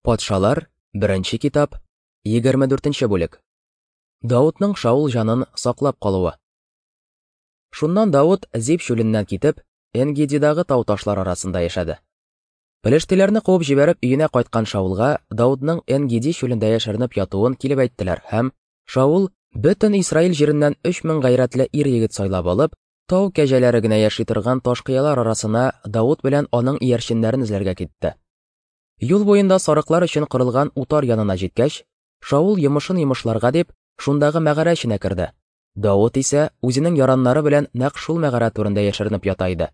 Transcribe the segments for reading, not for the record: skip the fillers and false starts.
Патшалар, беренче китап, 24 нче бүлек. Давытның Шаул җанын саклап калуы. Шуннан Давыт Зип чүленнән китеп, Энгедидагы тау ташлар арасында яшәде. Пелештиләрне куып җибәреп өенә кайткан Шаулга Давыдның Энгеди чүлендә яшеренеп ятуын килеп әйттеләр һәм Шаул бөтен Исраил җиреннән 3000 гайрәтле ир-егет сайлап алып, тау кәҗәләре генә яши торган таш кыялар арасына Давыт белән аның иярченнәрен эзләргә китте. Юл буенда сарыклар өчен корылган утар янына җиткәч, Шаул йомышын йомышларга дип, шундагы мәгарә эченә керде. Давыт исә үзенең яраннары белән нәкъ шул мәгарә түрендә яшеренеп ята иде.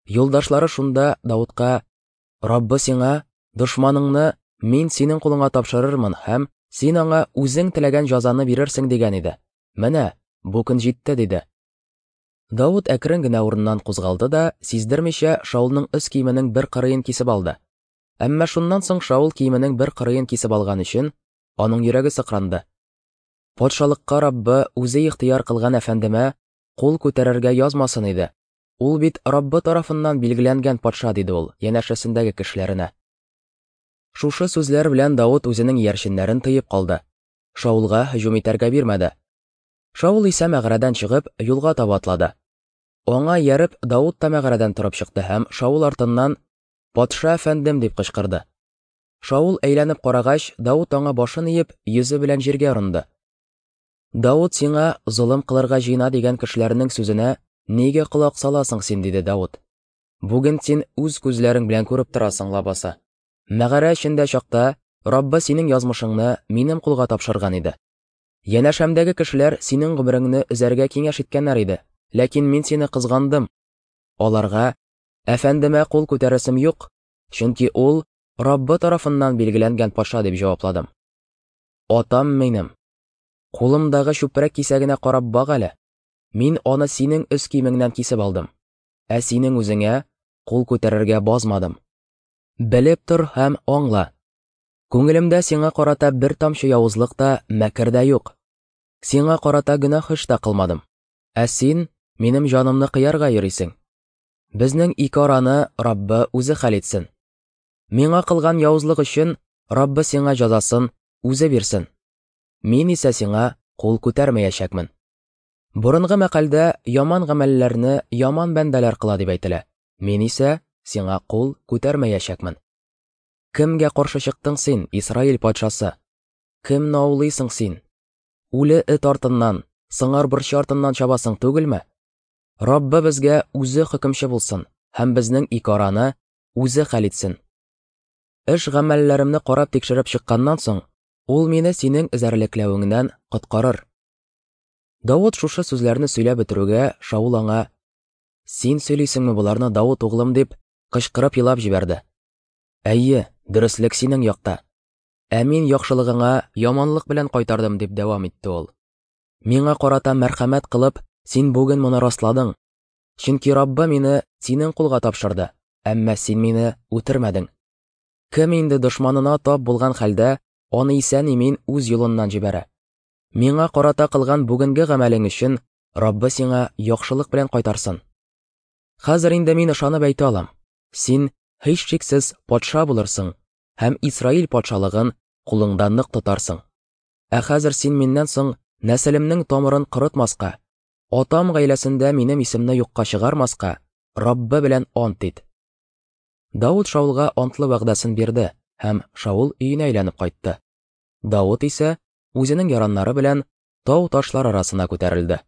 Юлдашлары шунда Давытка: "Раббы сиңа, дошманыңны мин синең кулыңа тапшырырмын һәм син аңа үзең теләгән җазаны бирерсең дигән иде. Менә, бу көн җитте", диде. Давыт әкрен генә урыннан кузгалды да, сиздермичә, Шаулның өс киеменең бер кырыен кисеп алды. Әмма шуннан соң Шаул киеменең бер кырыен кисеп алган өчен, аның йөрәге сыкранды. Патшалыкка Раббы үзе ихтыяр кылган әфәндемә кул күтәрергә язмасын иде. Ул бит Раббы тарафыннан билгеләнгән патша, диде ул янәшәсендәге кешеләренә. Шушы сүзләр белән Давыт үзенең иярченнәрен тыеп калды. Шаулга һөҗүм итәргә бирмәде. Шаул исә мәгарәдән чыгып, юлга таба атлады. Аңа ияреп, Давыт та мәгарәдән торып чыкты һәм Шаул артыннан «Патша әфәндем!» дип кычкырды. Шаул әйләнеп карагач, Давыт аңа башын иеп, йөзе белән җиргә орынды. Давыт сиңа золым кылырга җыена дигән кешеләрнең сүзенә нигә колак саласың син, диде Давыт. Бүген син үз күзләрең белән күреп торасың лабаса. Мәгарә эчендә чакта Раббы синең язмышыңны минем кулга тапшырган иде. Янәшәмдәге кешеләр синең гомереңне өзәргә киңәш иткәннәр иде, ләкин мин сине кызгандым. Аларга, Әфәндемә кул күтәрәсем юк, чөнки ул Раббы тарафыннан билгеләнгән патша дип җавапладым. Атам минем. Кулымдагы чүпрәк кисәгенә карап бак әле. Мин аны синең өс киемеңнән кисеп алдым. Ә синең үзеңә кул күтәрергә базмадым. Белеп тор һәм аңла, Күңелемдә сиңа карата бер тамчы явызлык та, мәкер дә юк. Сиңа карата гөнаһ эш тә кылмадым. Ә син минем җанымны кыярга йөрисең. Безнең ике араны Раббы үзе хәл итсен. Миңа кылган явызлык өчен Раббы сиңа җазасын үзе бирсен. Мин исә сиңа кул күтәрмәячәкмен. Борынгы мәкальдә яман гамәлләрне яман бәндәләр кыла дип әйтелә. Мин исә сиңа кул күтәрмәячәкмен. Кемгә каршы чыктың син, Исраил патшасы? Кемне аулыйсың син? Үле эт артыннан, сыңар борчы артыннан чабасың түгелме? Раббы безгә үзе хөкемче булсын һәм безнең ике араны үзе хәл итсен. Эш гамәлләремне карап тикшереп чыкканнан соң, ул мине синең эзәрлекләвеңнән коткарыр. Давыт шушы сүзләрне сөйләп бетерүгә, Шаул аңа: "Син сөйлисеңме боларны, Давыт углым?" дип, кычкырып елап җибәрде. Әйе, дөреслек синең якта. Ә мин яхшылыгыңа яманлык белән кайтардым, дип дәвам итте ул. Миңа карата мәрхәмәт кылып, син бүген моны расладың. Чөнки Раббы мине синең кулга тапшырды, әмма син мине үтермәдең. Кем инде дошманына тап булган хәлдә аны исән-имин үз юлыннан җибәрә? Миңа карата кылган бүгенге гамәлең өчен Раббы сиңа яхшылык белән кайтарсын. Хәзер инде мин ышанып әйтә алам, син һичшиксез патша булырсың һәм Исраил патшалыгын кулыңда нык тотарсың. Ә хәзер син миннән соң нәселемнең тамырын корытмаска, атам гаиләсендә минем исемне юкка чыгармаска Раббы белән ант ит. Давыт Шаулга антлы вәгъдәсен бирде һәм Шаул өенә әйләнеп кайтты. Давыт исә үзенең яраннары белән тау ташлар арасына күтәрелде.